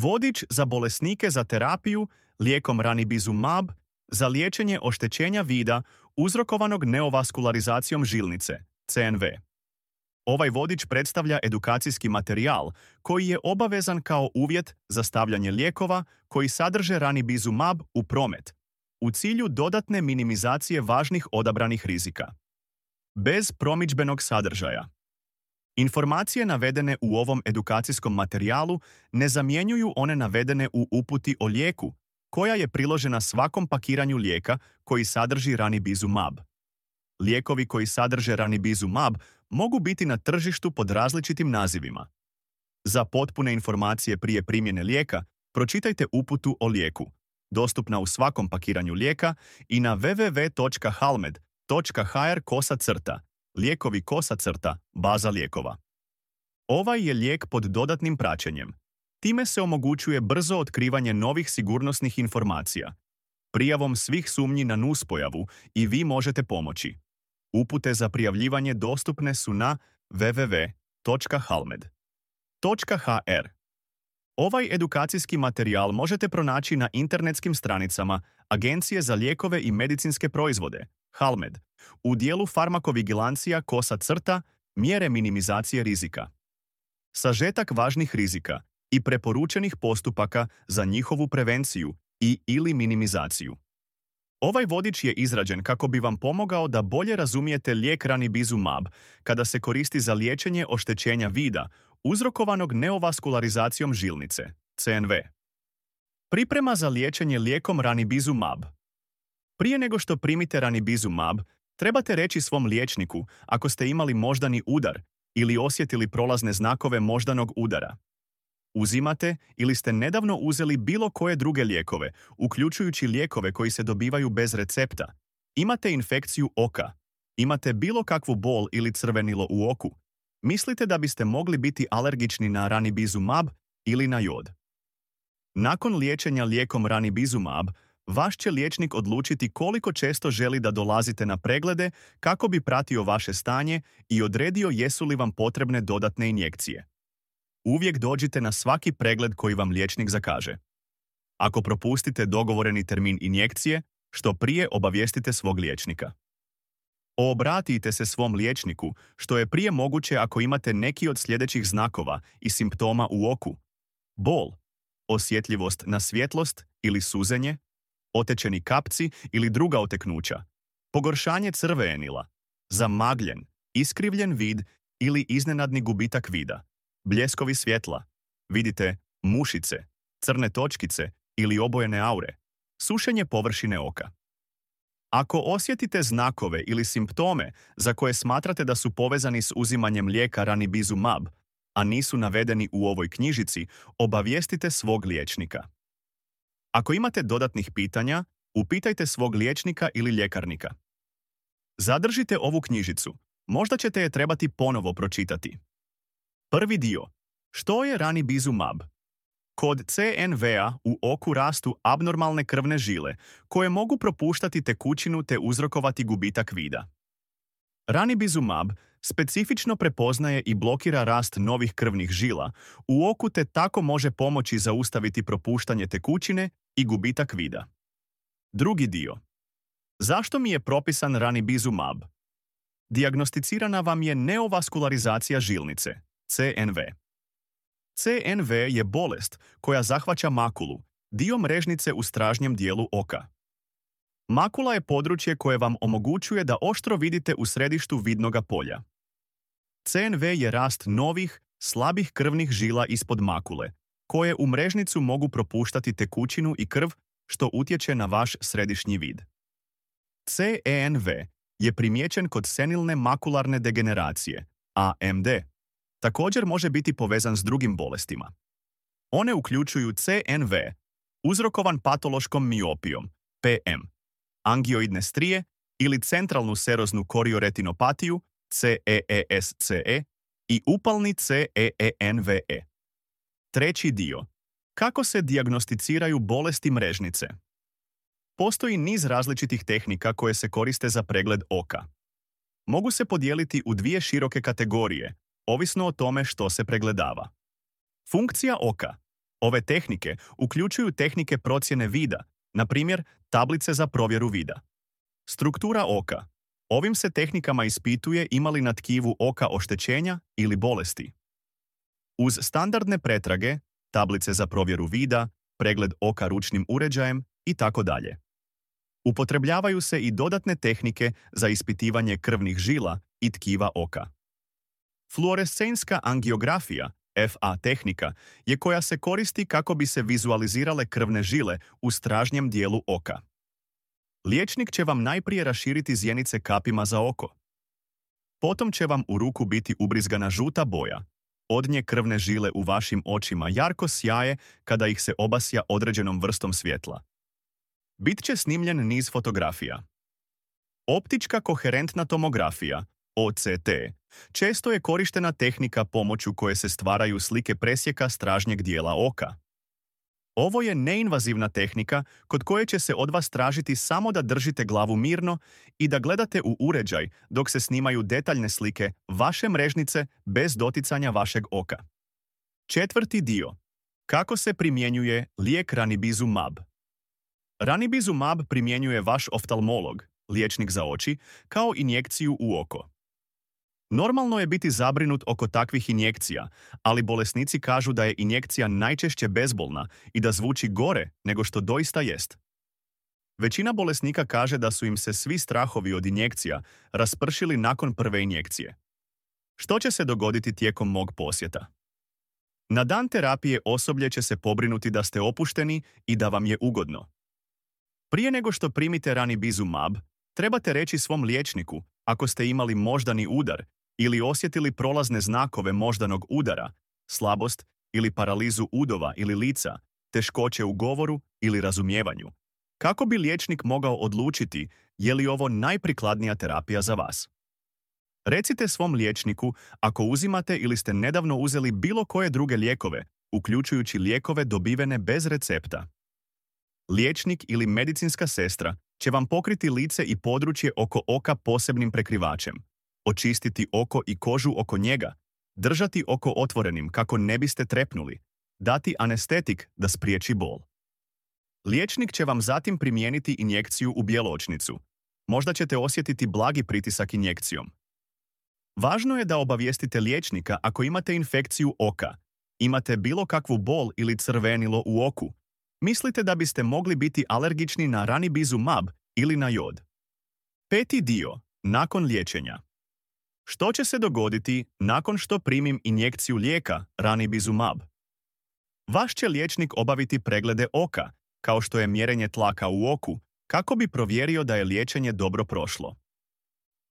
Vodič za bolesnike za terapiju lijekom ranibizumab za liječenje oštećenja vida uzrokovanog neovaskularizacijom žilnice, CNV. Ovaj vodič predstavlja edukacijski materijal koji je obavezan kao uvjet za stavljanje lijekova koji sadrže ranibizumab u promet, u cilju dodatne minimizacije važnih odabranih rizika. Bez promidžbenog sadržaja. Informacije navedene u ovom edukacijskom materijalu ne zamjenjuju one navedene u uputi o lijeku, koja je priložena svakom pakiranju lijeka koji sadrži ranibizumab. Lijekovi koji sadrže ranibizumab mogu biti na tržištu pod različitim nazivima. Za potpune informacije prije primjene lijeka, pročitajte uputu o lijeku, dostupna u svakom pakiranju lijeka i na www.halmed.hr/lijekovi-baza lijekova. Ovaj je lijek pod dodatnim praćenjem. Time se omogućuje brzo otkrivanje novih sigurnosnih informacija. Prijavom svih sumnji na nuspojavu i vi možete pomoći. Upute za prijavljivanje dostupne su na www.halmed.hr. Ovaj edukacijski materijal možete pronaći na internetskim stranicama Agencije za lijekove i medicinske proizvode, Halmed, u dijelu farmakovigilancija mjere minimizacije rizika. Sažetak važnih rizika i preporučenih postupaka za njihovu prevenciju ili minimizaciju. Ovaj vodič je izrađen kako bi vam pomogao da bolje razumijete lijek ranibizumab kada se koristi za liječenje oštećenja vida uzrokovanog neovaskularizacijom žilnice, CNV. Priprema za liječenje lijekom ranibizumab. Prije nego što primite ranibizumab, trebate reći svom liječniku ako ste imali moždani udar ili osjetili prolazne znakove moždanog udara. Uzimate ili ste nedavno uzeli bilo koje druge lijekove, uključujući lijekove koji se dobivaju bez recepta. Imate infekciju oka. Imate bilo kakvu bol ili crvenilo u oku. Mislite da biste mogli biti alergični na ranibizumab ili na jod. Nakon liječenja lijekom ranibizumab, vaš će liječnik odlučiti koliko često želi da dolazite na preglede kako bi pratio vaše stanje i odredio jesu li vam potrebne dodatne injekcije. Uvijek dođite na svaki pregled koji vam liječnik zakaže. Ako propustite dogovoreni termin injekcije, što prije obavijestite svog liječnika. Obratite se svom liječniku što je prije moguće ako imate neki od sljedećih znakova i simptoma u oku: bol, osjetljivost na svjetlost ili suzenje, otečeni kapci ili druga oteknuća, pogoršanje crvenila, zamagljen, iskrivljen vid ili iznenadni gubitak vida, bljeskovi svjetla, vidite mušice, crne točkice ili obojene aure, sušenje površine oka. Ako osjetite znakove ili simptome za koje smatrate da su povezani s uzimanjem lijeka ranibizumab, a nisu navedeni u ovoj knjižici, obavijestite svog liječnika. Ako imate dodatnih pitanja, upitajte svog liječnika ili ljekarnika. Zadržite ovu knjižicu, možda ćete je trebati ponovo pročitati. Prvi dio. Što je ranibizumab? Kod CNV-a u oku rastu abnormalne krvne žile koje mogu propuštati tekućinu te uzrokovati gubitak vida. Ranibizumab specifično prepoznaje i blokira rast novih krvnih žila u oku te tako može pomoći zaustaviti propuštanje tekućine i gubitak vida. Drugi dio. Zašto mi je propisan ranibizumab? Dijagnosticirana vam je neovaskularizacija žilnice, CNV. CNV je bolest koja zahvaća makulu, dio mrežnice u stražnjem dijelu oka. Makula je područje koje vam omogućuje da oštro vidite u središtu vidnoga polja. CNV je rast novih, slabih krvnih žila ispod makule, koje u mrežnicu mogu propuštati tekućinu i krv, što utječe na vaš središnji vid. CNV je primijećen kod senilne makularne degeneracije, AMD. Također može biti povezan s drugim bolestima. One uključuju CNV, uzrokovan patološkom miopijom, PM, angioidne strije ili centralnu seroznu korioretinopatiju, CEESCE, i upalni CEENVE. Treći dio. Kako se dijagnosticiraju bolesti mrežnice? Postoji niz različitih tehnika koje se koriste za pregled oka. Mogu se podijeliti u dvije široke kategorije, ovisno o tome što se pregledava. Funkcija oka. Ove tehnike uključuju tehnike procjene vida, na primjer tablice za provjeru vida. Struktura oka. Ovim se tehnikama ispituje ima li na tkivu oka oštećenja ili bolesti. Uz standardne pretrage, tablice za provjeru vida, pregled oka ručnim uređajem i tako dalje. Upotrebljavaju se i dodatne tehnike za ispitivanje krvnih žila i tkiva oka. Fluorescenska angiografija, FA tehnika, je koja se koristi kako bi se vizualizirale krvne žile u stražnjem dijelu oka. Liječnik će vam najprije raširiti zjenice kapima za oko. Potom će vam u ruku biti ubrizgana žuta boja. Od nje krvne žile u vašim očima jarko sjaje kada ih se obasja određenom vrstom svjetla. Bit će snimljen niz fotografija. Optička koherentna tomografija, OCT, često je korištena tehnika pomoću koje se stvaraju slike presjeka stražnjeg dijela oka. Ovo je neinvazivna tehnika kod koje će se od vas tražiti samo da držite glavu mirno i da gledate u uređaj dok se snimaju detaljne slike vaše mrežnice bez doticanja vašeg oka. Četvrti dio. Kako se primjenjuje lijek ranibizumab? Ranibizumab primjenjuje vaš oftalmolog, liječnik za oči, kao injekciju u oko. Normalno je biti zabrinut oko takvih injekcija, ali bolesnici kažu da je injekcija najčešće bezbolna i da zvuči gore nego što doista jest. Većina bolesnika kaže da su im se svi strahovi od injekcija raspršili nakon prve injekcije. Što će se dogoditi tijekom mog posjeta? Na dan terapije osoblje će se pobrinuti da ste opušteni i da vam je ugodno. Prije nego što primite ranibizumab, trebate reći svom liječniku ako ste imali moždani udar ili osjetili prolazne znakove moždanog udara, slabost ili paralizu udova ili lica, teškoće u govoru ili razumijevanju. Kako bi liječnik mogao odlučiti je li ovo najprikladnija terapija za vas? Recite svom liječniku ako uzimate ili ste nedavno uzeli bilo koje druge lijekove, uključujući lijekove dobivene bez recepta. Liječnik ili medicinska sestra će vam pokriti lice i područje oko oka posebnim prekrivačem, očistiti oko i kožu oko njega, držati oko otvorenim kako ne biste trepnuli, dati anestetik da spriječi bol. Liječnik će vam zatim primijeniti injekciju u bjeločnicu. Možda ćete osjetiti blagi pritisak injekcijom. Važno je da obavijestite liječnika ako imate infekciju oka, imate bilo kakvu bol ili crvenilo u oku, mislite da biste mogli biti alergični na ranibizumab ili na jod. Peti dio. Nakon liječenja. Što će se dogoditi nakon što primim injekciju lijeka ranibizumab? Vaš će liječnik obaviti preglede oka, kao što je mjerenje tlaka u oku, kako bi provjerio da je liječenje dobro prošlo.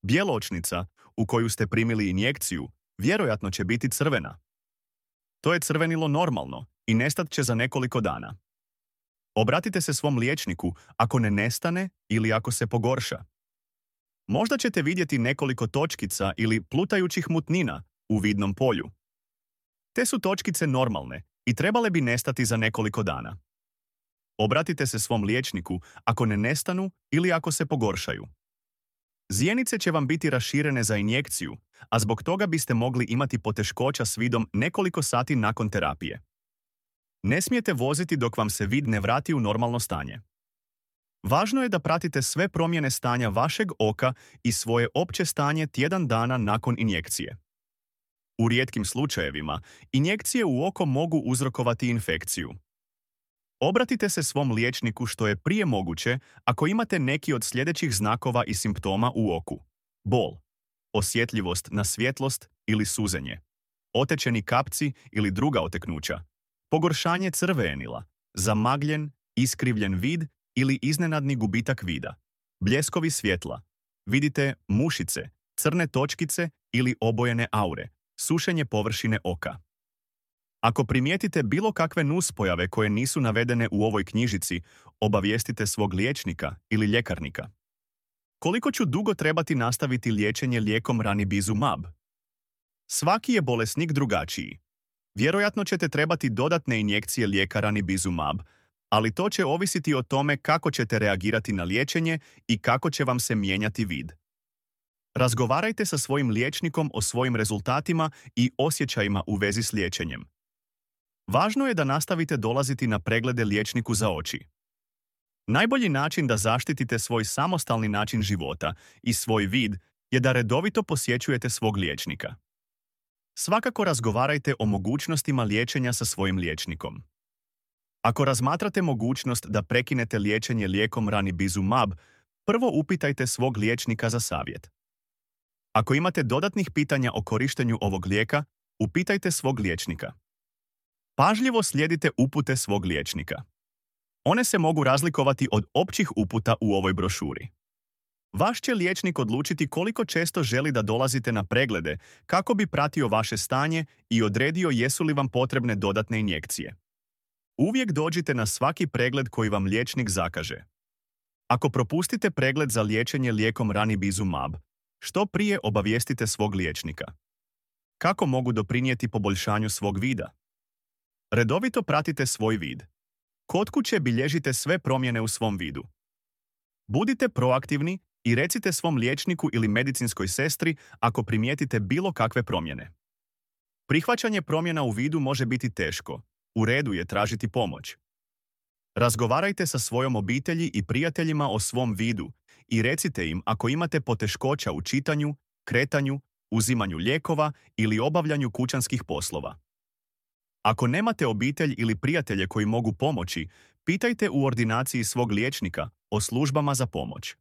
Bjeločnica, u koju ste primili injekciju, vjerojatno će biti crvena. To je crvenilo normalno i nestat će za nekoliko dana. Obratite se svom liječniku ako ne nestane ili ako se pogorša. Možda ćete vidjeti nekoliko točkica ili plutajućih mutnina u vidnom polju. Te su točkice normalne i trebale bi nestati za nekoliko dana. Obratite se svom liječniku ako ne nestanu ili ako se pogoršaju. Zjenice će vam biti raširene za injekciju, a zbog toga biste mogli imati poteškoća s vidom nekoliko sati nakon terapije. Ne smijete voziti dok vam se vid ne vrati u normalno stanje. Važno je da pratite sve promjene stanja vašeg oka i svoje opće stanje tjedan dana nakon injekcije. U rijetkim slučajevima, injekcije u oko mogu uzrokovati infekciju. Obratite se svom liječniku što je prije moguće ako imate neki od sljedećih znakova i simptoma u oku. Bol, osjetljivost na svjetlost ili suzenje, otečeni kapci ili druga oteknuća, pogoršanje crvenila, zamagljen, iskrivljen vid ili iznenadni gubitak vida, bljeskovi svjetla, vidite mušice, crne točkice ili obojene aure, sušenje površine oka. Ako primijetite bilo kakve nuspojave koje nisu navedene u ovoj knjižici, obavijestite svog liječnika ili ljekarnika. Koliko ću dugo trebati nastaviti liječenje lijekom ranibizumab? Svaki je bolesnik drugačiji. Vjerojatno ćete trebati dodatne injekcije lijeka ranibizumab, ali to će ovisiti o tome kako ćete reagirati na liječenje i kako će vam se mijenjati vid. Razgovarajte sa svojim liječnikom o svojim rezultatima i osjećajima u vezi s liječenjem. Važno je da nastavite dolaziti na preglede liječniku za oči. Najbolji način da zaštitite svoj samostalni način života i svoj vid je da redovito posjećujete svog liječnika. Svakako razgovarajte o mogućnostima liječenja sa svojim liječnikom. Ako razmatrate mogućnost da prekinete liječenje lijekom ranibizumab, prvo upitajte svog liječnika za savjet. Ako imate dodatnih pitanja o korištenju ovog lijeka, upitajte svog liječnika. Pažljivo slijedite upute svog liječnika. One se mogu razlikovati od općih uputa u ovoj brošuri. Vaš će liječnik odlučiti koliko često želi da dolazite na preglede kako bi pratio vaše stanje i odredio jesu li vam potrebne dodatne injekcije. Uvijek dođite na svaki pregled koji vam liječnik zakaže. Ako propustite pregled za liječenje lijekom ranibizumab, što prije obavijestite svog liječnika. Kako mogu doprinijeti poboljšanju svog vida? Redovito pratite svoj vid. Kod kuće bilježite sve promjene u svom vidu. Budite proaktivni i recite svom liječniku ili medicinskoj sestri ako primijetite bilo kakve promjene. Prihvaćanje promjena u vidu može biti teško. U redu je tražiti pomoć. Razgovarajte sa svojom obitelji i prijateljima o svom vidu i recite im ako imate poteškoća u čitanju, kretanju, uzimanju lijekova ili obavljanju kućanskih poslova. Ako nemate obitelj ili prijatelje koji mogu pomoći, pitajte u ordinaciji svog liječnika o službama za pomoć.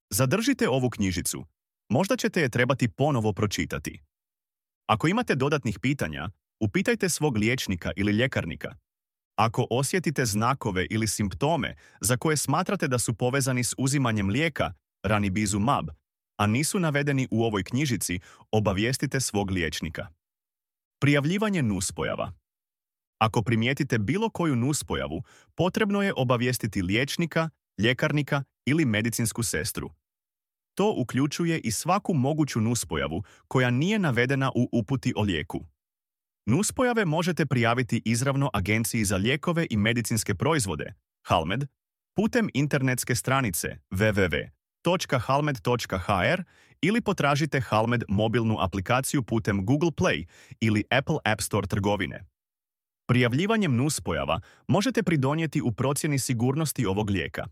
Zadržite ovu knjižicu. Možda ćete je trebati ponovo pročitati. Ako imate dodatnih pitanja, upitajte svog liječnika ili ljekarnika. Ako osjetite znakove ili simptome za koje smatrate da su povezani s uzimanjem lijeka ranibizumab, a nisu navedeni u ovoj knjižici, obavijestite svog liječnika. Prijavljivanje nuspojava. Ako primijetite bilo koju nuspojavu, potrebno je obavijestiti liječnika, ljekarnika ili medicinsku sestru. To uključuje i svaku moguću nuspojavu koja nije navedena u uputi o lijeku. Nuspojave možete prijaviti izravno Agenciji za lijekove i medicinske proizvode, HALMED, putem internetske stranice www.halmed.hr ili potražite HALMED mobilnu aplikaciju putem Google Play ili Apple App Store trgovine. Prijavljivanjem nuspojava možete pridonijeti u procjeni sigurnosti ovog lijeka.